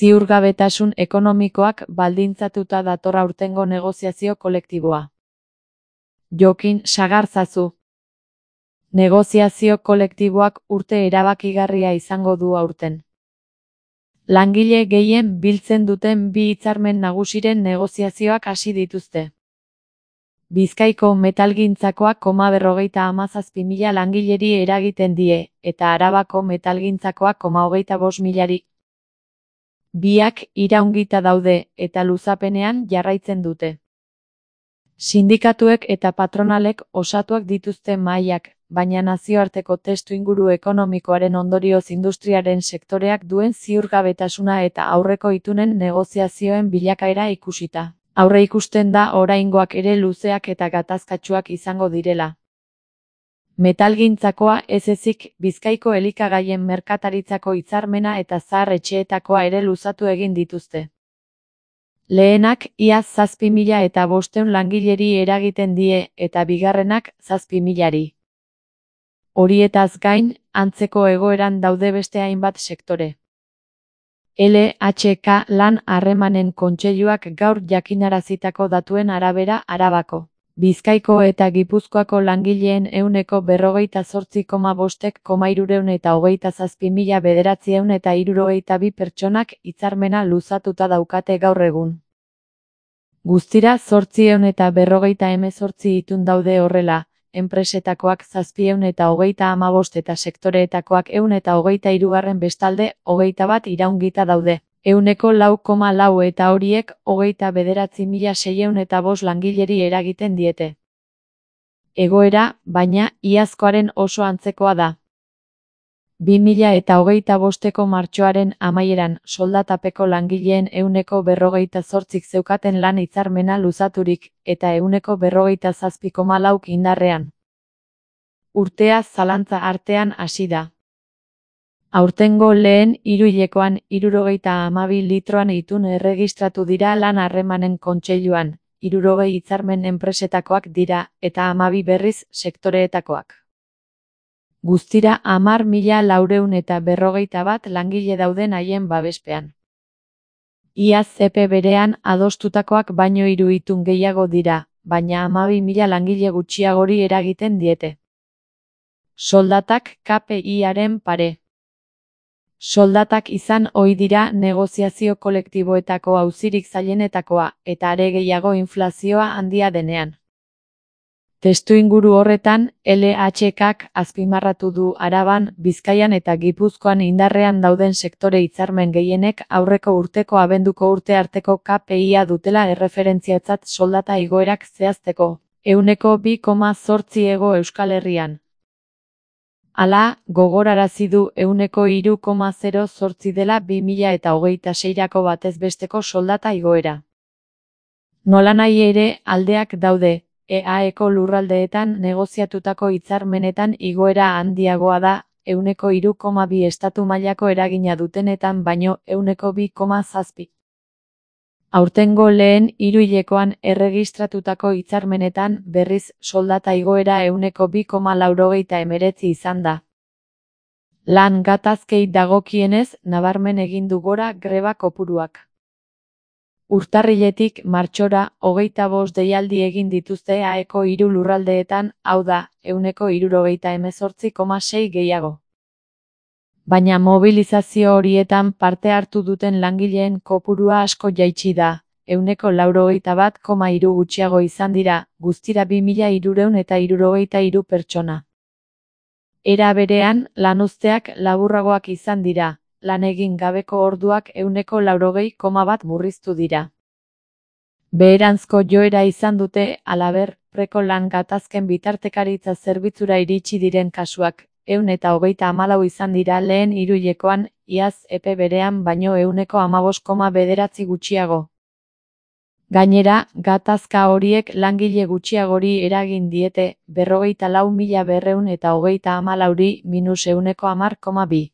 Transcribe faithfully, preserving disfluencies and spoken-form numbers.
Ziurgabetasun ekonomikoak baldintzatuta dator aurtengo negoziazio kolektiboa. Jokin Sagarzazu. Negoziazio kolektiboak urte erabakigarria izango du aurten. Langile gehien biltzen duten bi hitzarmen nagusiren negoziazioak hasi dituzte. Bizkaiko metalgintzakoak koma berrogeita hamazazpi mila langileri eragiten die, eta Arabako metalgintzakoak koma hogeita bost milari. Biak iraungita daude, eta luzapenean jarraitzen dute. Sindikatuek eta patronalek osatuak dituzte mahaiak, baina nazioarteko testuinguru ekonomikoaren ondorioz industriaren sektoreak duen ziurgabetasuna eta aurreko itunen negoziazioen bilakaera ikusita. Aurre ikusten da oraingoak ere luzeak eta gatazkatsuak izango direla. Metalgintzakoa ez ezik Bizkaiko elikagaien merkataritzako hitzarmena eta zahar etxeetakoa ere luzatu egin dituzte. Lehenak iaz zazpi mila eta bostehun langileri eragiten die eta bigarrenak zazpi milari. Horietaz gain, antzeko egoeran daude beste hainbat sektore. L H K lan harremanen kontseiluak gaur jakinarazitako datuen arabera Arabako, Bizkaiko eta Gipuzkoako langileen ehuneko berrogeita zortzi koma bostek koma hirurehun eta hogeita zazpi mila bederatziehun eta hirurogeita bi pertsonak hitzarmena luzatuta daukate gaur egun. Guztira zortziehun eta berrogeita hemezortzi itun daude horrela, enpresetakoak zazpiehun eta hogeita hamabost eta sektoreetakoak ehun eta hogeita hirugarren bestalde hogeita bat iraungita daude. Ehuneko lau koma lau eta horiek hogeita bederatzi mila seiehun eta bost langileri eragiten diete. Egoera, baina, iazkoaren oso antzekoa da. bi mila eta hogeita bosteko martxoaren amaieran soldatapeko langileen ehuneko berrogeita zortzik zeukaten lan hitzarmena luzaturik, eta ehuneko berrogeita zazpi koma lauk indarrean. Urtea zalantza artean hasi da. Aurtengo lehen hiruhilekoan hirurogeita hamabi litroan itun erregistratu dira lan harremanen kontseiluan, hirurogei hitzarmen enpresetakoak dira, eta hamabi berriz sektoreetakoak. Guztira hamar mila laurehun eta berrogeita bat langile dauden haien babespean. Iaz epe berean adostutakoak baino hiru itun gehiago dira, baina hamabi mila langile gutxiagori eragiten diete. Soldatak K P I-aren pare. Soldatak izan ohi dira negoziazio kolektiboetako auzirik zailenetakoa, eta are gehiago inflazioa handia denean. Testuinguru horretan, L H K-k azpimarratu du Araban, Bizkaian eta Gipuzkoan indarrean dauden sektore hitzarmen gehienek aurreko urteko abenduko urte arteko K P I-a dutela erreferentziatzat soldata igoerak zehazteko, ehuneko bi koma zortzi ego Euskal Herrian. Hala, gogorarazi du ehuneko hiru koma zero zortzi dela bi mila eta hogeita seirako batez besteko soldata igoera. Nolanahi ere, aldeak daude. E A E-ko lurraldeetan negoziatutako hitzarmenetan igoera handiagoa da, ehuneko hiru koma bi estatu mailako eragina dutenetan baino ehuneko bi koma zazpi. Aurtengo lehen hiruhilekoan erregistratutako hitzarmenetan berriz soldata igoera ehuneko bi koma laurogeita hemeretzi izan da. Lan gatazkei dagokienez, nabarmen egin du gora greba kopuruak. Urtarriletik martxora hogeita bost deialdi egin dituzte E A E-ko hiru lurraldeetan, hau da, ehuneko hirurogeita hemezortzi koma sei gehiago. Baina mobilizazio horietan parte hartu duten langileen kopurua asko jaitsi da, ehuneko laurogeita bat koma hiru gutxiago izan dira, guztira bi mila hirurehun eta hirurogeita hiru pertsona. Era berean, lanuzteak laburragoak izan dira. Lan egin gabeko orduak ehuneko laurogei koma bat murriztu dira. Beheranzko joera izan dute, halaber, preko lan gatazken bitartekaritza zerbitzura iritsi diren kasuak, ehun eta hogeita hamalau izan dira lehen hiruhilekoan, iaz epe berean baino ehuneko hamabost koma bederatzi gutxiago. Gainera, gatazka horiek langile gutxiagori eragin diete, berrogeita lau mila berrehun eta hogeita hamalauri minus ehuneko hamar koma bi.